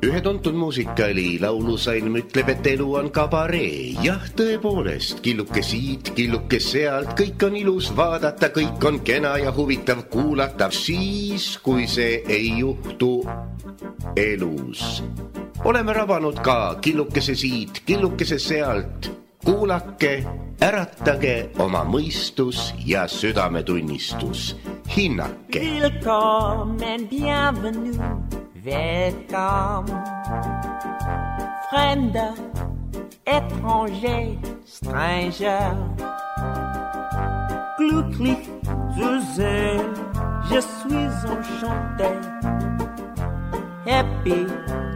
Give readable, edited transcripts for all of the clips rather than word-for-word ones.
Ühe tuntud muusikali laulusalm ütleb, et elu on kabaree. Jah, tõepoolest, killuke siit, killuke sealt, kõik on ilus vaadata, kõik on kena ja huvitav kuulata, siis kui see ei juhtu elus. Oleme rabanud ka killukese siit, killukese sealt. Kuulake, äratage oma mõistus ja südametunnistus. Hinnake. Willkommen, bienvenue, welcome. Fremder, étranger, stranger. Glücklich zu sehen, je suis enchanté. Happy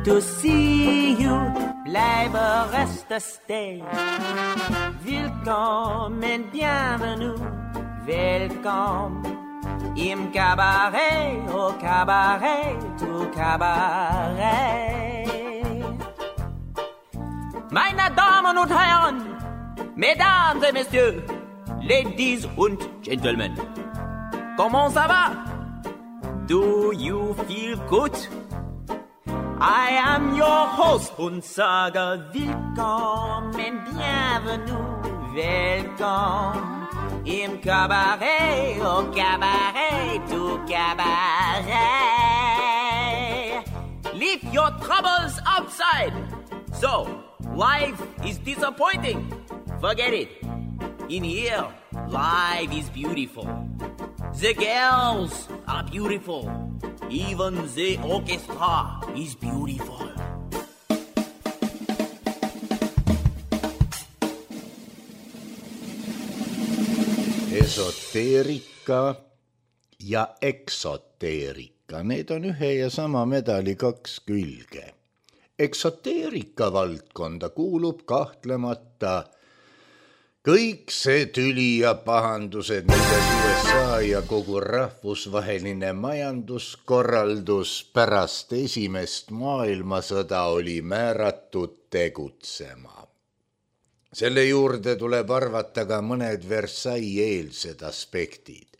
to see you, bleibe reste stay. Willkommen, bienvenue, welcome. Im Cabaret, au Cabaret, au Cabaret. Meine Damen und Herren, Mesdames et Messieurs, Ladies und Gentlemen, comment ça va? Do you feel good? I am your host und sage willkommen, bienvenue, welcome. Im Cabaret, au Cabaret, au Cabaret. Leave your troubles outside. So, life is disappointing. Forget it. In here, life is beautiful. The girls are beautiful. Even the orchestra is beautiful. Esoteerika ja eksoteerika, need on ühe ja sama medali kaks külge. Eksoteerika valdkonda kuulub kahtlemata kõik see tüli ja pahandused, milles USA ja kogu rahvusvaheline majanduskorraldus pärast esimest maailmasõda oli määratud tegutsema. Selle juurde tuleb arvata ka mõned Versailles-eelsed aspektid.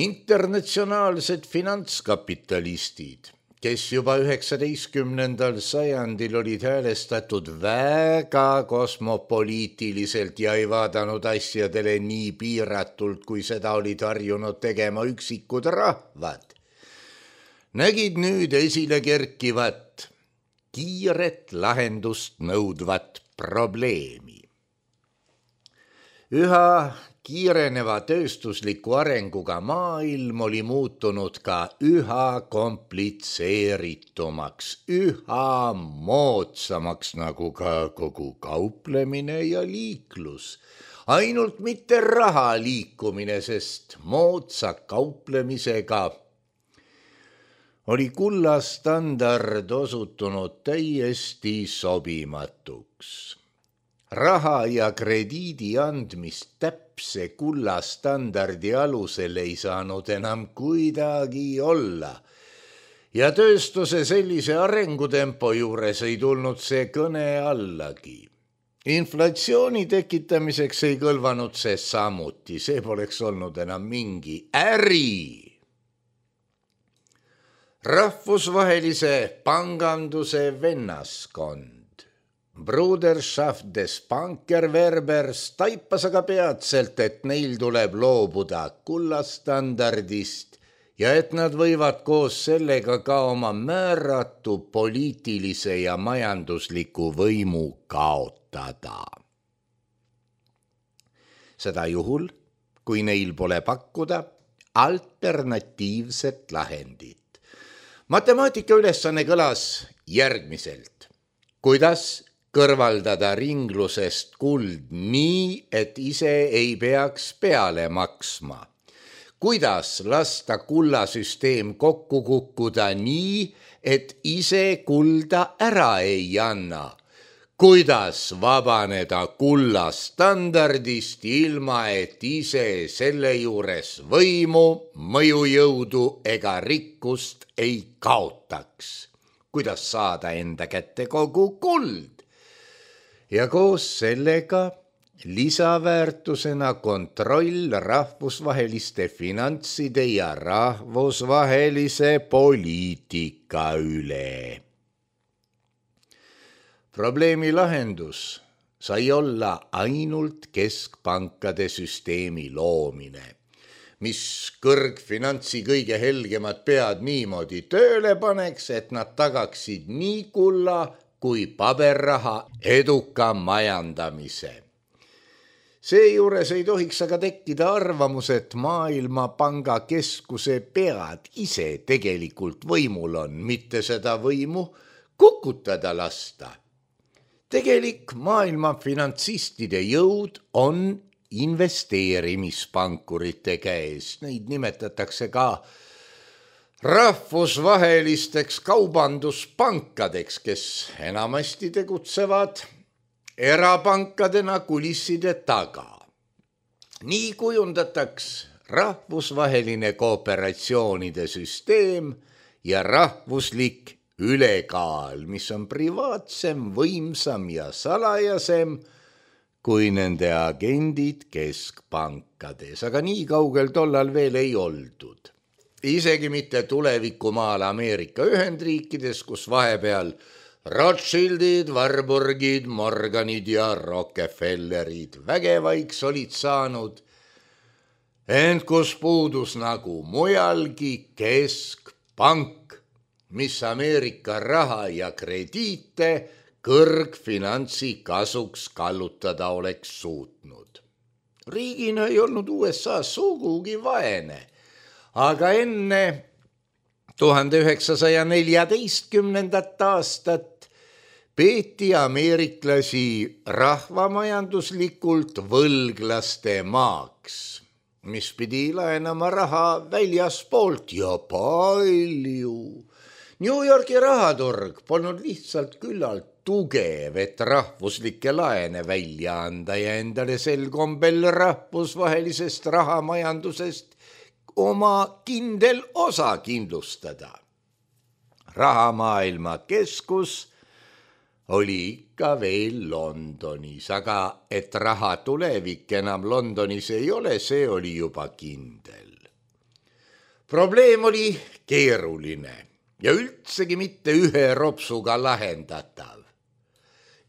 Internatsionaalsed finantskapitalistid, kes juba 19. sajandil olid häälestatud väga kosmopoliitiliselt ja ei vaadanud asjadele nii piiratult, kui seda olid harjunud tegema üksikud rahvad, nägid nüüd esile kerkivat, kiiret lahendust nõudvat probleemi. Üha kiireneva tööstusliku arenguga maailm oli muutunud ka üha komplitseeritumaks, üha moodsamaks, nagu ka kogu kauplemine ja liiklus. Ainult mitte raha liikumine, sest moodsa kauplemisega oli kullastandard osutunud täiesti sobimatuks. Raha ja krediidi andmist täpse kullastandardi alusel ei saanud enam kuidagi olla. Ja tööstuse sellise arengutempo juures ei tulnud see kõne allagi. Inflatsiooni tekitamiseks ei kõlvanud see samuti, see poleks olnud enam mingi äri. Rahvusvahelise panganduse vennaskond Bruderschaft des Bankerwerbers taipas aga peatselt, et neil tuleb loobuda kullastandardist ja et nad võivad koos sellega ka oma määratu poliitilise ja majandusliku võimu kaotada. Seda juhul, kui neil pole pakkuda alternatiivset lahendit. Matemaatika ülesanne kõlas järgmiselt. Kuidas kõrvaldada ringlusest kuld nii, et ise ei peaks peale maksma? Kuidas lasta kullasüsteem kokku kukkuda nii, et ise kulda ära ei anna? Kuidas vabaneda kullastandardist ilma, et ise selle juures võimu, mõjujõudu ega rikkust ei kaotaks? Kuidas saada enda kätte kogu kuld? Ja koos sellega lisaväärtusena kontroll rahvusvaheliste finantside ja rahvusvahelise poliitika üle. Probleemi lahendus sai olla ainult keskpankade süsteemi loomine, mis kõrgfinantsi kõige helgemad pead niimoodi tööle paneks, et nad tagaksid nii kulla kui paberraha eduka majandamise. Seejuures ei tohiks aga tekkida arvamus, et Maailmapanga keskuse pead ise tegelikult võimul on, mitte seda võimu kukutada lasta. Tegelik maailma finantsistide jõud on investeerimispankurite käes. Neid nimetatakse ka rahvusvahelisteks kaubanduspankadeks, kes enamasti tegutsevad erapankadena kulisside taga. Nii kujundataks rahvusvaheline kooperatsioonide süsteem ja rahvuslik ülekaal, mis on privaatsem, võimsam ja salajasem kui nende agendid keskpankades, aga nii kaugel tollal veel ei oldud. Isegi mitte tulevikumaal Ameerika Ühendriikides, kus vahepeal Rothschildid, Warburgid, Morganid ja Rockefellerid vägevaiks olid saanud, ent kus puudus nagu mujalgi keskpank, mis Ameerika raha ja krediite kõrgfinantsi kasuks kallutada oleks suutnud. Riigina ei olnud USA sugugi vaene, aga enne 1914. aastat peeti ameeriklasi rahvamajanduslikult võlglaste maaks, mis pidi laenama raha väljaspoolt ja palju. New Yorki rahaturg polnud lihtsalt küllalt tugev, et rahvuslikke laene välja anda ja endale sel kombel rahvusvahelisest rahamajandusest oma kindel osa kindlustada. Rahamaailma keskus oli ikka veel Londonis, aga et raha tulevik enam Londonis ei ole, see oli juba kindel. Probleem oli keeruline ja üldsegi mitte ühe ropsuga lahendatav.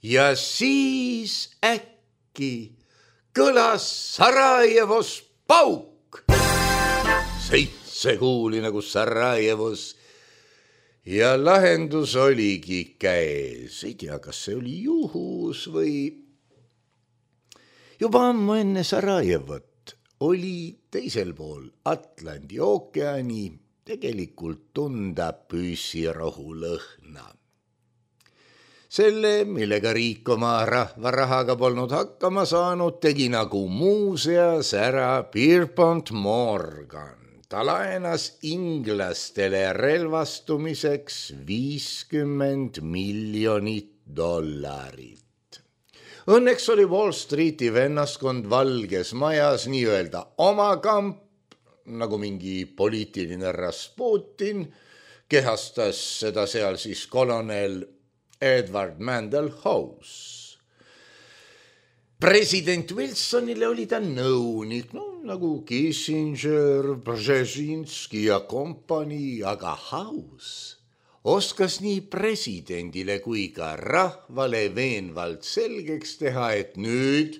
Ja siis äkki kõlas Sarajevos pauk. 7 kuuli nagu Sarajevos ja lahendus oligi käes. Ei tea, kas see oli juhus või juba ammu enne Sarajevot oli teisel pool Atlandi ookeani tegelikult tunda püssirohu lõhna. Selle, millega riik oma rahvarahaga polnud hakkama saanud, tegi nagu muuseas ära Pierpont Morgan. Ta laenas inglastele relvastumiseks $50 miljonit. Õnneks oli Wall Streeti vennaskond Valges Majas nii-öelda oma kamp, nagu mingi poliitiline Rasputin, kehastas seda seal siis kolonel Edward Mandell House. President Wilsonile oli ta nõunik, nagu Kissinger, Brzezinski ja kompanii, aga House oskas nii presidendile kui ka rahvale veenvalt selgeks teha, et nüüd,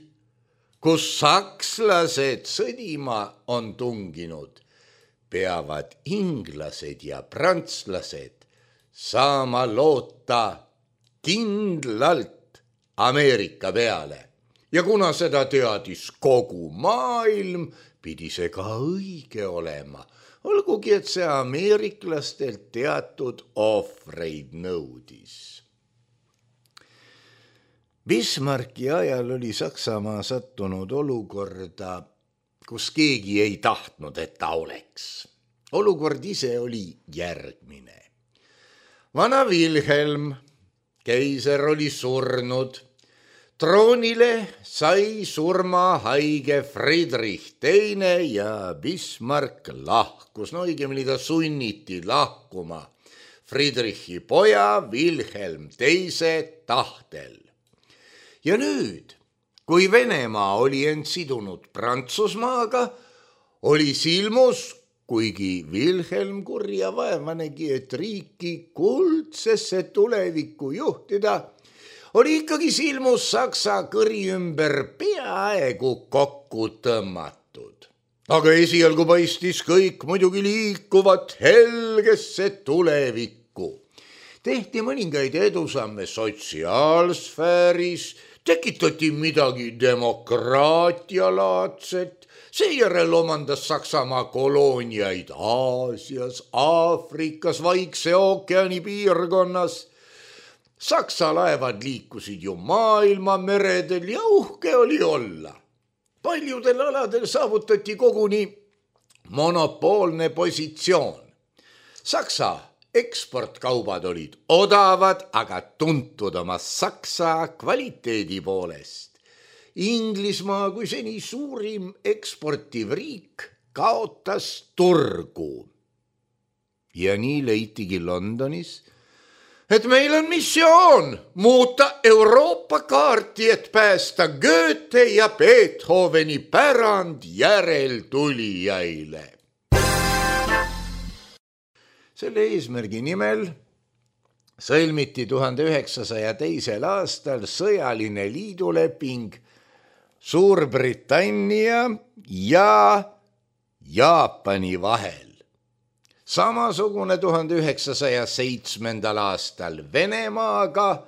kus sakslased sõdima on tunginud, peavad inglased ja prantslased saama loota kindlalt Ameerika peale. Ja kuna seda teadis kogu maailm, pidi see ka õige olema, olgugi et see ameeriklastelt teatud ohvreid nõudis. Bismarcki ajal oli Saksamaa sattunud olukorda, kus keegi ei tahtnud, et ta oleks. Olukord ise oli järgmine. Vana Wilhelm, keiser, oli surnud. Troonile sai surmahaige Friedrich II ja Bismarck lahkus. Õigemini ta sunniti lahkuma Friedrichi poja Wilhelm II tahtel. Ja nüüd kui Venemaa oli end sidunud Prantsusmaaga, oli silmus, kuigi Wilhelm kurja vaevanegi, et riiki kuldsesse tulevikku juhtida, oli ikkagi silmus Saksa kõri ümber peaaegu kokku tõmmatud. Aga esialgu paistis kõik muidugi liikuvat helgesse tulevikku. Tehti mõningaid edusamme sotsiaalsfääris, tekitati midagi demokraatialaadset, seejärel omandas Saksamaa kolooniaid Aasias, Aafrikas, Vaikse ookeani piirkonnas. Saksa laevad liikusid ju maailma meredel ja uhke oli olla. Paljudel aladel saavutati koguni monopoolne positsioon. Saksa eksportkaubad olid odavad, aga tuntud oma Saksa kvaliteedi poolest. Inglismaa kui seni suurim eksportiv riik kaotas turgu. Ja nii leitigi Londonis, et meil on missioon muuta Euroopa kaarti, et päästa Goethe ja Beethoveni pärand järeltulijaile. Selle eesmärgi nimel sõlmiti 1902. aastal sõjaline liiduleping Suurbritannia ja Jaapani vahel. Samasugune 1907. aastal Venemaaga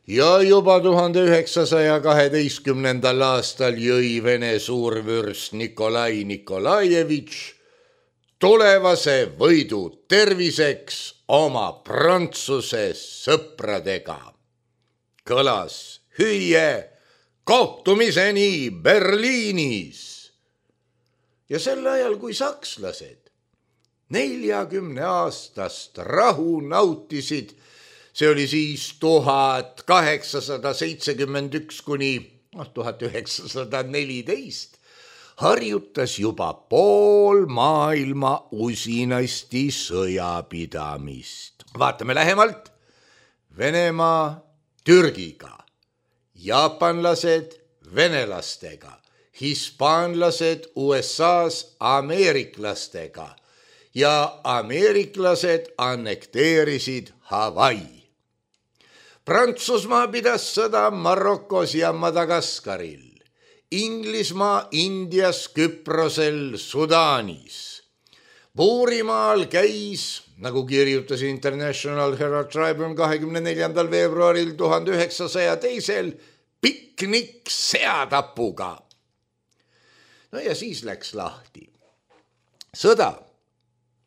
ja juba 1912. aastal jõi Vene suurvürst Nikolai Nikolajevitš tulevase võidu terviseks oma Prantsuse sõpradega. Kõlas hüüe kohtumiseni Berliinis. Ja sel ajal, kui sakslased 40-aastast rahu nautisid, see oli siis 1871 kuni 1914, harjutas juba pool maailma usinasti sõjapidamist. Vaatame lähemalt. Venemaa Türgiga, jaapanlased venelastega, hispaanlased USAs ameeriklastega ja ameeriklased annekteerisid Hawaii. Prantsusmaa pidas sõda Marokos ja Madagaskaril, Inglismaa Indias, Küprosel, Sudaanis. Puurimaal käis, nagu kirjutas International Herald Tribune 24. veebruaril 1902. piknik seatapuga. No ja siis läks lahti. Sõda,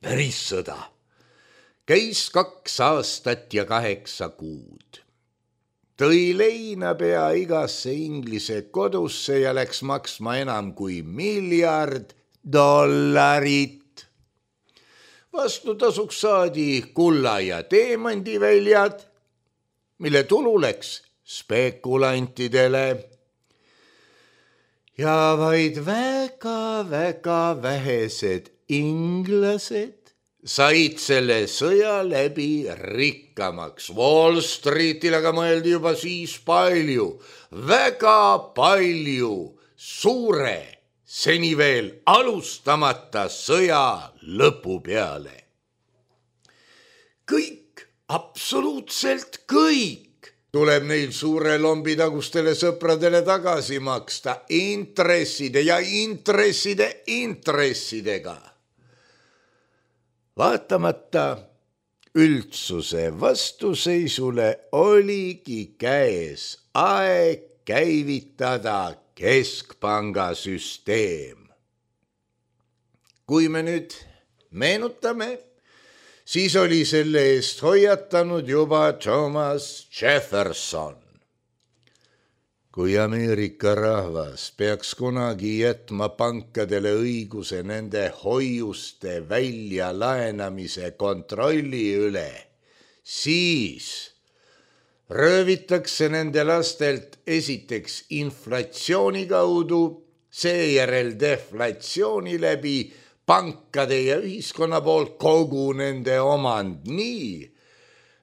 päris sõda, käis 2 aastat ja 8 kuud. Tõi leina pea igasse Inglise kodusse ja läks maksma enam kui $1 miljard. Vastutasuks saadi kulla ja teemandiväljad, mille tulu läks spekulantidele. Ja vaid väga vähesed inglased said selle sõja läbi rikkamaks. Wall Streetil aga mõeldi juba siis palju, väga palju suure, seni veel alustamata sõja lõpu peale. Kõik, absoluutselt kõik tuleb neil suure lombi tagustele sõpradele tagasi maksta intresside ja intressidega. Vaatamata üldsuse vastuseisule oligi käes aeg käivitada keskpanga süsteem. Kui me nüüd meenutame, siis oli selle eest hoiatanud juba Thomas Jefferson. Kui Ameerika rahvas peaks kunagi jätma pankadele õiguse nende hoiuste väljalaenamise kontrolli üle, siis röövitakse nende lastelt esiteks inflatsiooni kaudu, seejärel deflatsiooni läbi pankade ja ühiskonna poolt kogu nende omand nii,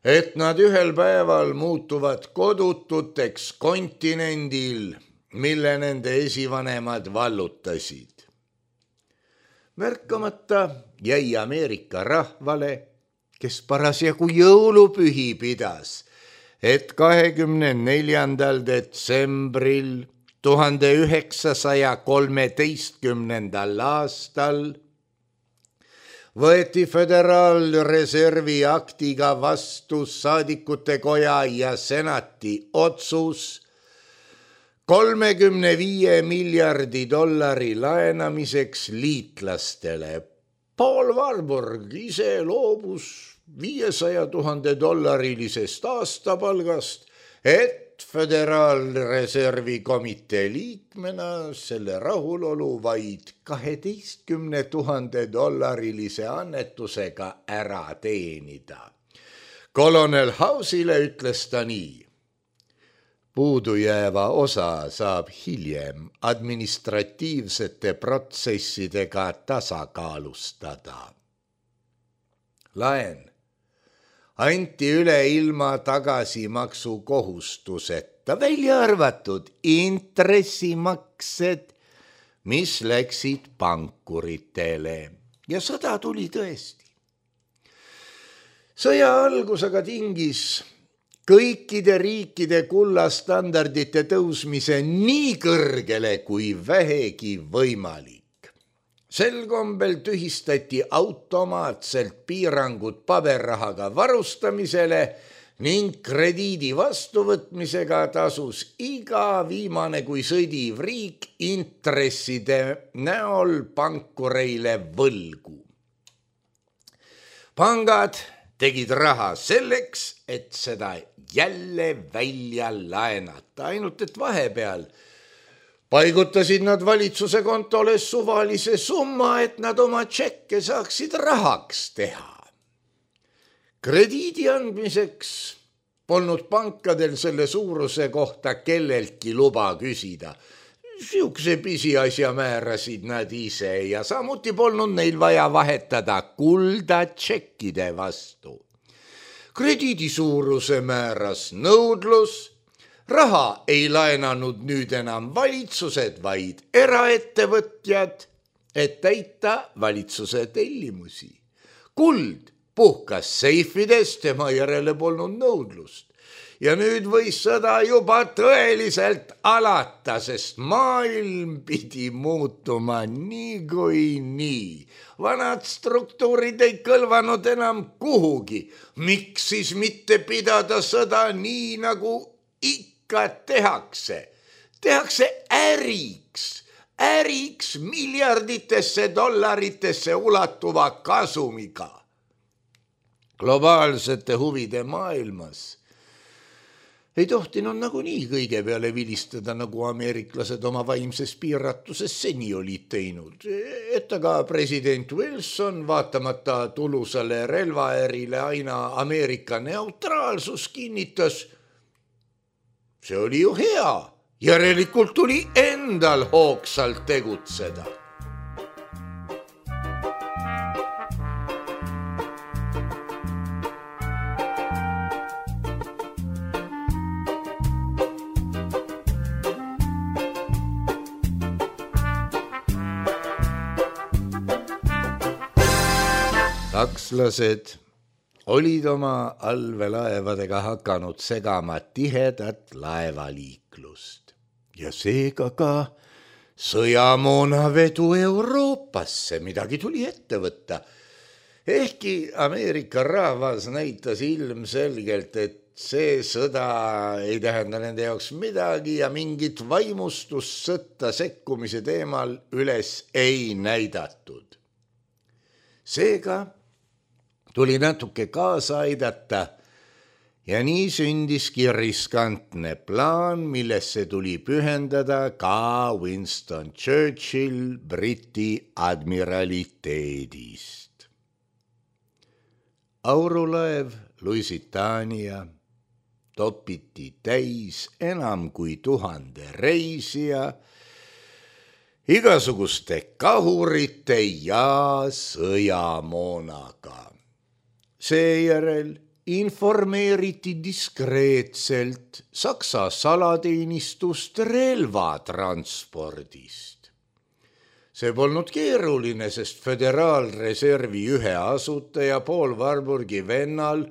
et nad ühel päeval muutuvad kodututeks kontinendil, mille nende esivanemad vallutasid. Märkamata jäi Ameerika rahvale, kes parasjagu jõulupühi pidas, et 24. detsembril 1913. aastal võeti Föderaalreservi aktiga vastu saadikute koja ja senati otsus $35 miljardi laenamiseks liitlastele. Paul Warburg ise loobus $500,000 aastapalgast, et Föderaalreservi komitee liikmena selle rahulolu vaid $12,000 annetusega ära teenida. Kolonel House'ile ütles ta nii: puudujääva osa saab hiljem administratiivsete protsessidega tasakaalustada. Laen anti üle ilma tagasimaksu kohustuseta, välja arvatud intressimaksed, mis läksid pankuritele, ja sõda tuli tõesti. Sõja algus aga tingis kõikide riikide kullastandardite tõusmise nii kõrgele kui vähegi võimalik. Sel kombel tühistati automaatselt piirangud paberrahaga varustamisele ning krediidi vastuvõtmisega tasus iga viimane kui sõdiv riik intresside näol pankureile võlgu. Pangad tegid raha selleks, et seda jälle välja laenata, ainult et vahepeal paigutasid nad valitsuse kontole suvalise summa, et nad oma tšekke saaksid rahaks teha. Krediidi andmiseks polnud pankadel selle suuruse kohta kelleltki luba küsida. Siukse pisiasja määrasid nad ise ja samuti polnud neil vaja vahetada kulda tšekkide vastu. Krediidi suuruse määras nõudlus. Raha ei laenanud nüüd enam valitsused, vaid eraettevõtjad, et täita valitsuse tellimusi. Kuld puhkas seifidest, tema järele polnud nõudlust. Ja nüüd võis sõda juba tõeliselt alata, sest maailm pidi muutuma nii kui nii. Vanad struktuurid ei kõlvanud enam kuhugi. Miks siis mitte pidada sõda nii, nagu ikka tehakse? Tehakse äriks miljarditesse dollaritesse ulatuva kasumiga. Globaalsete huvide maailmas ei tohtinud nagunii kõige peale vilistada, nagu ameeriklased oma vaimses piiratuses seni olid teinud. Et aga president Wilson vaatamata tulusale relvaärile aina Ameerika neutraalsus kinnitas, see oli ju hea, järelikult tuli endal hoogsalt tegutseda. Sakslased olid oma allveelaevadega hakanud segama tihedat laevaliiklust ja seega ka sõjamoonavedu Euroopasse midagi tuli ette võtta. Ehkki Ameerika rahvas näitas ilmselgelt, et see sõda ei tähenda nende jaoks midagi ja mingit vaimustust sõtta sekkumise teemal üles ei näidatud. Seega tuli natuke kaasa aidata ja nii sündiski riskantne plaan, millesse tuli pühendada ka Winston Churchill Briti admiraliteedist. Aurulaev Lusitania topiti täis enam kui 1000 reisija, igasuguste kahurite ja sõjamoonaga. Seejärel informeeriti diskreetselt Saksa salateenistust relvatranspordist. See polnud keeruline, sest Föderaalreservi ühe asutaja Paul Warburgi vennal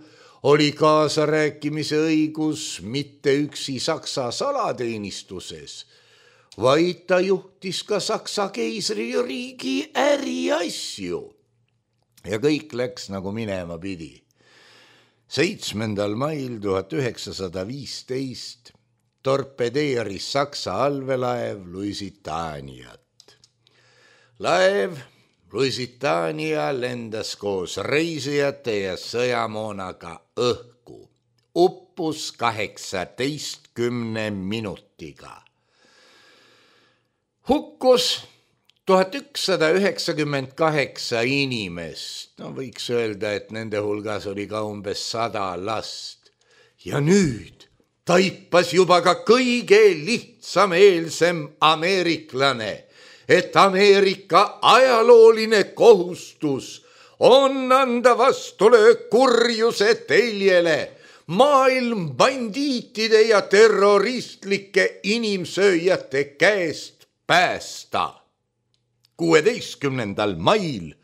oli kaasarääkimise õigus mitte üksi Saksa salateenistuses, vaid ta juhtis ka Saksa keisririigi äriasju. Ja kõik läks nagu minema pidi. 7. mail 1915 torpedeeris Saksa allveelaev Lusitaniat. Laev Lusitania lendas koos reisijate ja sõjamoonaga õhku. Uppus 18 minutiga. Hukkus 1198 inimest, võiks öelda, et nende hulgas oli ka umbes 100 last. Ja nüüd taipas juba ka kõige lihtsameelsem ameeriklane, et Ameerika ajalooline kohustus on anda vastulöök kurjuse teljele, maailm bandiitide ja terroristlike inimsööjate käest päästa. 16. mail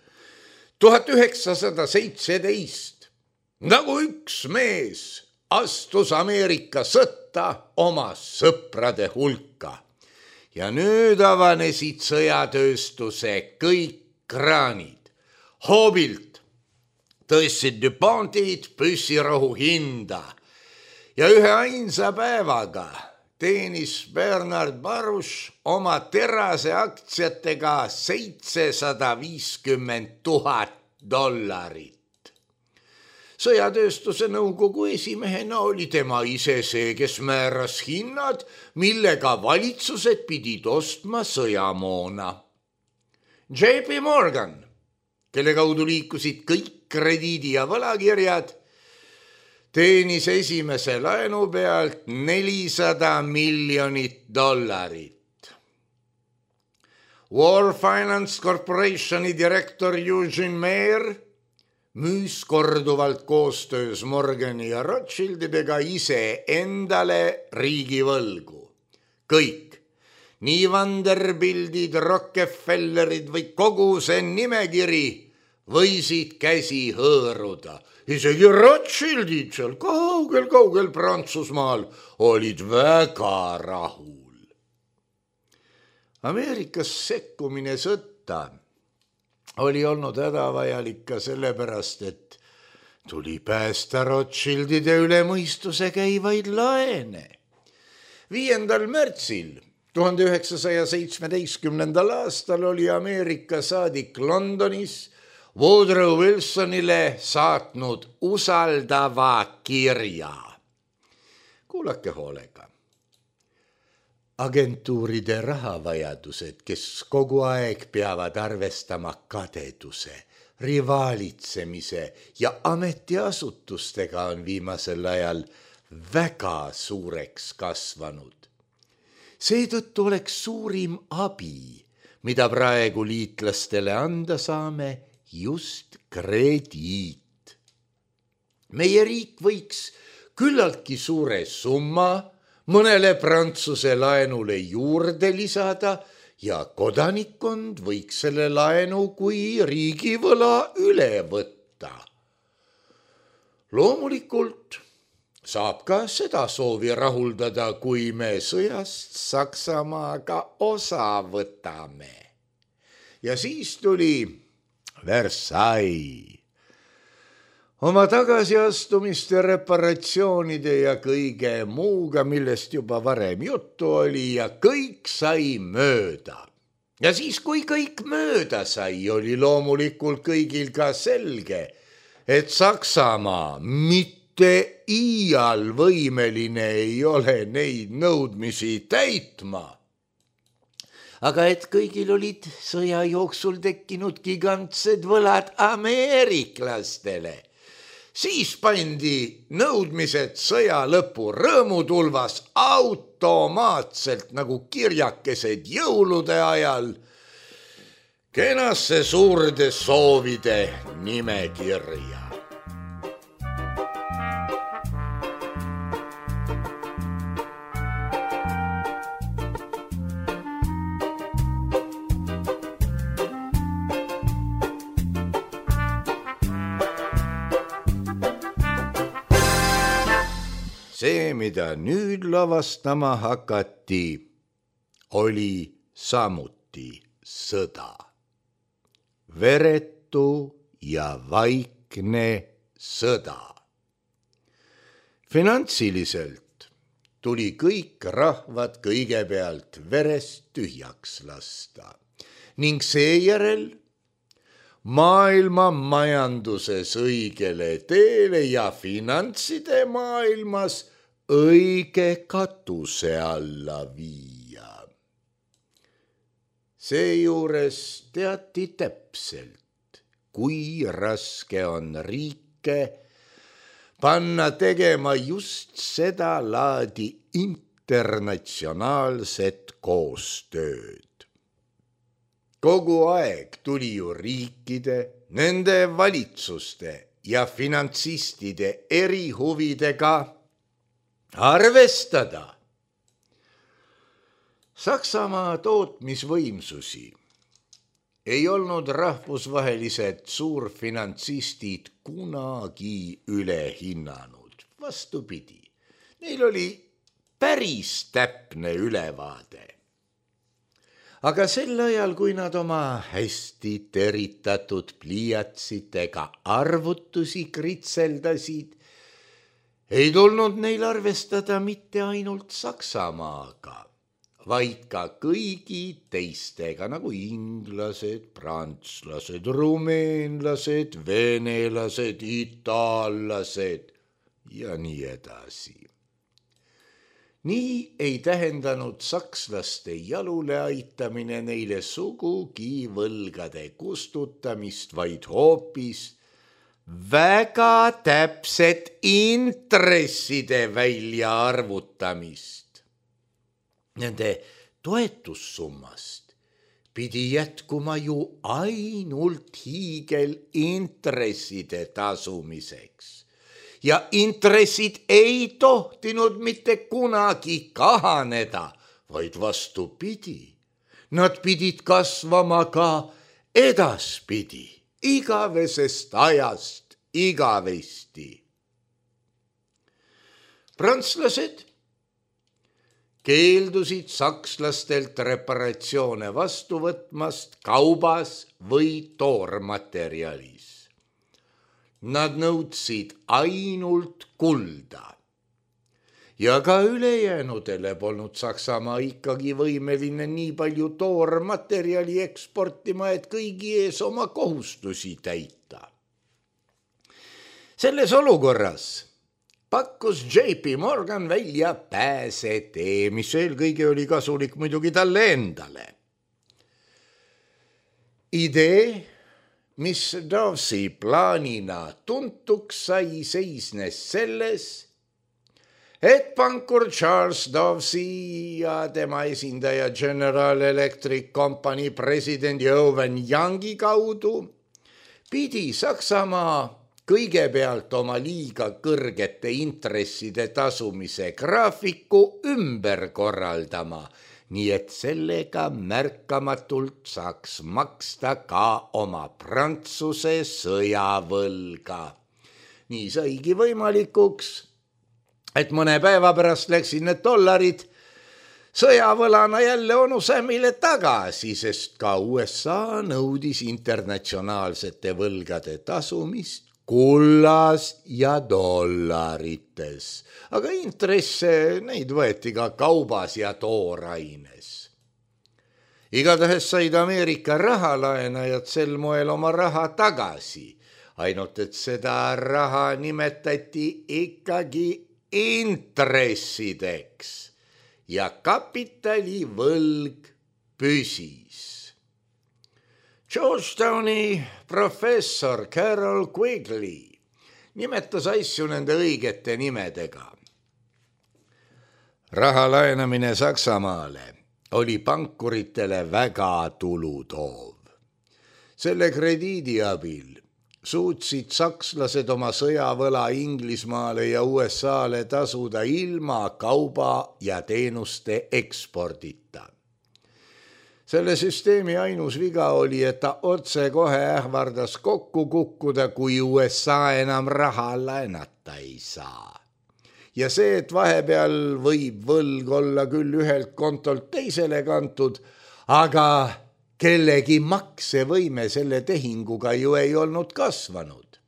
1917 nagu üks mees astus Ameerika sõtta oma sõprade hulka ja nüüd avanesid sõjatööstuse kõik kraanid. Hoobilt tõstsid DuPontid püssirohu hinda ja ühe ainsa päevaga teenis Bernard Baruch oma teraseaktsiatega $750,000. Sõjatööstuse nõukogu esimehena oli tema ise see, kes määras hinnad, millega valitsused pidid ostma sõjamoona. J.P. Morgan, kelle kaudu liikusid kõik krediidi- ja võlakirjad, teenis esimese laenu pealt $400 miljonit. War Finance Corporationi direktor Eugene Mayer müüs korduvalt koostöös Morgani ja Rothschildidega ise endale riigivõlgu. Kõik, nii Vanderbiltid, Rockefellerid või kogu see nimekiri võisid käsi hõõruda. Isegi Rothschildid seal kaugel Prantsusmaal olid väga rahul. Ameerikas sekkumine sõtta oli olnud hädavajalik ka sellepärast, et tuli päästa Rothschildide üle mõistuse käivaid laene. 5. märtsil 1917. aastal oli Ameerika saadik Londonis Woodrow Wilsonile saatnud usaldava kirja. Kuulake hoolega. Agentuuride rahavajadused, kes kogu aeg peavad arvestama kadeduse, rivaalitsemise ja ametiasutustega on viimasel ajal väga suureks kasvanud. Seetõttu oleks suurim abi, mida praegu liitlastele anda saame, just krediit. Meie riik võiks küllaltki suure summa mõnele Prantsuse laenule juurde lisada ja kodanikkond võiks selle laenu kui riigivõla üle võtta. Loomulikult saab ka seda soovi rahuldada, kui me sõjast Saksamaaga osa võtame. Ja siis tuli Versailles. Oma tagasiastumiste, reparatsioonide ja kõige muuga, millest juba varem juttu oli, ja kõik sai mööda. Ja siis, kui kõik mööda sai, oli loomulikult kõigil ka selge, et Saksamaa mitte iial võimeline ei ole neid nõudmisi täitma. Aga et kõigil olid sõja jooksul tekkinud gigantsed võlad ameeriklastele, siis pandi nõudmised sõja lõpu rõõmutulvas automaatselt nagu kirjakesed jõulude ajal kenasse suurde soovide nimekirja. see, mida nüüd lavastama hakati, oli samuti sõda. Veretu ja vaikne sõda. Finantsiliselt tuli kõik rahvad kõigepealt verest tühjaks lasta ning seejärel maailma majanduses õigele teele ja finantside maailmas õige katuse alla viia. Seejuures teati täpselt, kui raske on riike panna tegema just seda laadi internatsionaalset koostööd. Kogu aeg tuli ju riikide, nende valitsuste ja finantsistide erihuvidega arvestada. Saksamaa tootmisvõimsusi ei olnud rahvusvahelised suurfinantsistid kunagi üle hinnanud. Vastupidi, neil oli päris täpne ülevaade. Aga sel ajal, kui nad oma hästi teritatud pliiatsitega arvutusi kritseldasid, ei tulnud neil arvestada mitte ainult Saksamaaga, vaid ka kõigi teistega nagu inglased, prantslased, rumeenlased, venelased, itaallased ja nii edasi. Nii ei tähendanud sakslaste jalule aitamine neile sugugi võlgade kustutamist, vaid hoopis väga täpset intresside väljaarvutamist. Nende toetussummast pidi jätkuma ju ainult hiigelintresside tasumiseks. Ja intressid ei tohtinud mitte kunagi kahaneda, vaid vastupidi. Nad pidid kasvama ka edaspidi, igavesest ajast igavesti. Prantslased keeldusid sakslastelt reparatsioone vastu võtmast kaubas või toormaterjalis. Nad nõudsid ainult kulda. Ja ka ülejäänudele polnud Saksamaa ikkagi võimeline nii palju toormaterjali eksportima, et kõigi ees oma kohustusi täita. Selles olukorras pakkus JP Morgan välja pääsetee, mis eelkõige oli kasulik muidugi talle endale. Idee, mis Dawsi plaanina tuntuks sai, seisnes selles, et pankur Charles Dawsi ja tema esindaja General Electric Company president Owen Youngi kaudu pidi Saksamaa kõigepealt oma liiga kõrgete intresside tasumise graafiku ümber korraldama, nii et sellega märkamatult saaks maksta ka oma Prantsuse sõjavõlga. Nii saigi võimalikuks, et mõne päeva pärast läksid need dollarid sõjavõlana jälle onusämile tagasi, sest ka USA nõudis internatsionaalsete võlgade tasumist kullas ja dollarites, aga intresse neid võeti ka kaubas ja tooraines. Igatahes said Ameerika rahalaenajad sel moel oma raha tagasi, ainult et seda raha nimetati ikkagi intressideks ja kapitalivõlg püsis. Georgetowni professor Carol Quigley nimetas asju nende õigete nimedega. Raha laenamine Saksamaale oli pankuritele väga tulutoov. Selle krediidi abil suutsid sakslased oma sõjavõla Inglismaale ja USAle tasuda ilma kauba ja teenuste ekspordita. Selle süsteemi ainus viga oli, et ta otsekohe ähvardas kokku kukkuda, kui USA enam raha laenata ei saa. ja see, et vahepeal võib võlg olla küll ühelt kontolt teisele kantud, aga kellegi maksevõime selle tehinguga ju ei olnud kasvanud.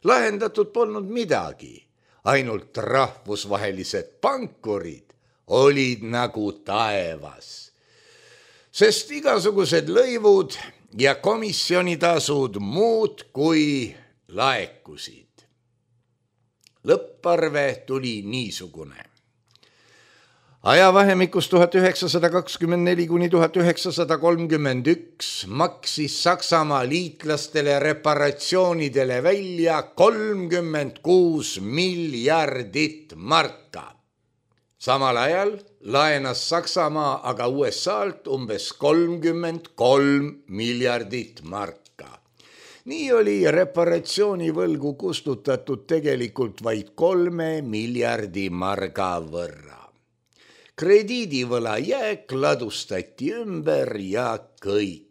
Lahendatud polnud midagi, ainult rahvusvahelised pankurid olid nagu taevas, sest igasugused lõivud ja komisjonitasud muud kui laekusid. Lõpparve tuli niisugune. Ajavahemikus 1924 kuni 1931 maksis Saksamaa liitlastele reparatsioonidele välja 36 miljardit marka. Samal ajal laenas Saksamaa aga USA-lt umbes 33 miljardit marka. Nii oli reparatsioonivõlgu kustutatud tegelikult vaid 3 miljardi marga võrra. Krediidivõla jääk ladustati ümber ja kõik.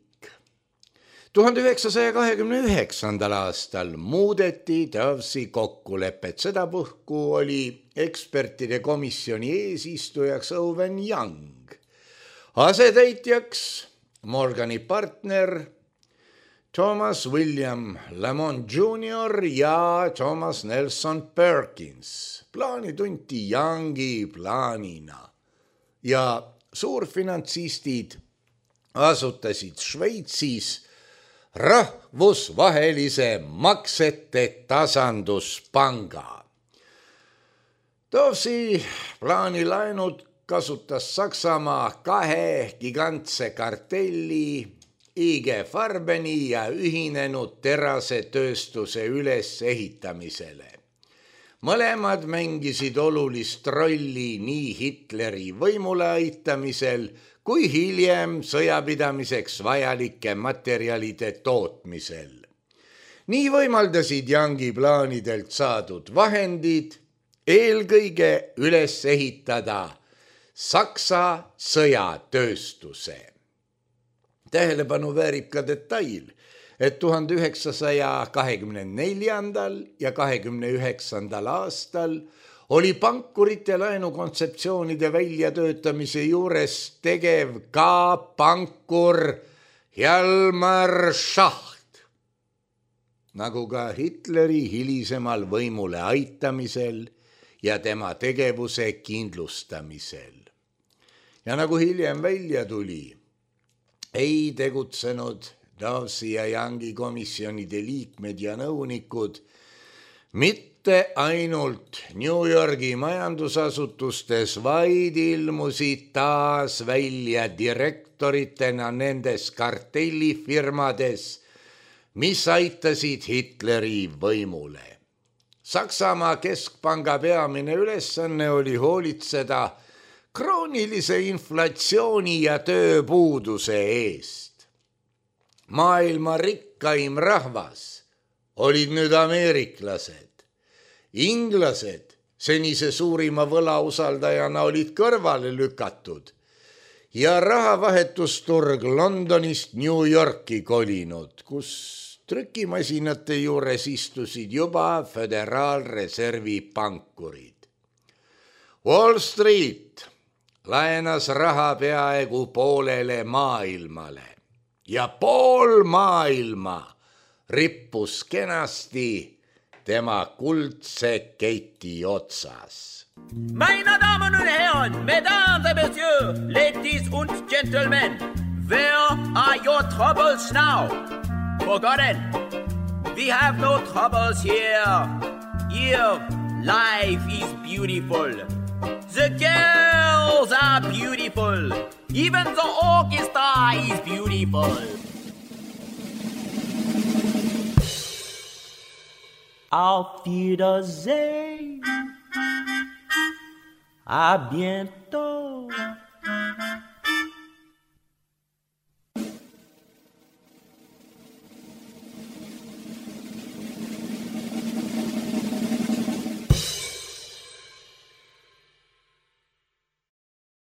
1929. aastal muudeti Dovesi kokkulepet. Sedapuhku oli ekspertide komisjoni eesistujaks Owen Young, asetäitjaks Morgani partner Thomas William Lamont Jr. ja Thomas Nelson Perkins. Plaani tunti Youngi plaanina ja suurfinantsistid asutasid Šveitsis rahvusvahelise maksete tasanduspanga. Dovesi plaani laenud kasutas Saksamaa 2 gigantse kartelli IG Farbeni ja ühinenud terasetööstuse ülesehitamisele. Mõlemad mängisid olulist rolli nii Hitleri võimule aitamisel kui hiljem sõjapidamiseks vajalike materjalide tootmisel. Nii võimaldasid Youngi plaanidelt saadud vahendid eelkõige üles ehitada Saksa sõjatööstuse. Tähelepanu väärib ka detail, et 1924. ja 29. aastal oli pankurite laenukontseptsioonide väljatöötamise juures tegev ka pankur Hjalmar Schacht, nagu ka Hitleri hilisemal võimule aitamisel ja tema tegevuse kindlustamisel. Ja nagu hiljem välja tuli, ei tegutsenud Dovesi ja Youngi komisjonide liikmed ja nõunikud mitte ainult New Yorgi majandusasutustes, vaid ilmusid taas välja direktoritena nendes kartellifirmades, mis aitasid Hitleri võimule. Saksamaa keskpanga peamine ülesanne oli hoolitseda kroonilise inflatsiooni ja tööpuuduse eest. Maailma rikkaim rahvas olid nüüd ameeriklased. Inglased senise suurima võlausaldajana olid kõrvale lükatud ja rahavahetusturg Londonist New Yorki kolinud, kus trükimasinate juures istusid juba Föderaalreservi pankurid. Wall Street laenas raha peaaegu poolele maailmale ja pool maailma rippus kenasti tema kuldse keti otsas. Meine Damen und Herren, Mesdames et Messieurs, Ladies und Gentlemen, where are your troubles now? Forgotten, we have no troubles here. Here, life is beautiful. The girls are beautiful. Even the orchestra is beautiful. Auf Wiedersehen. À bientôt.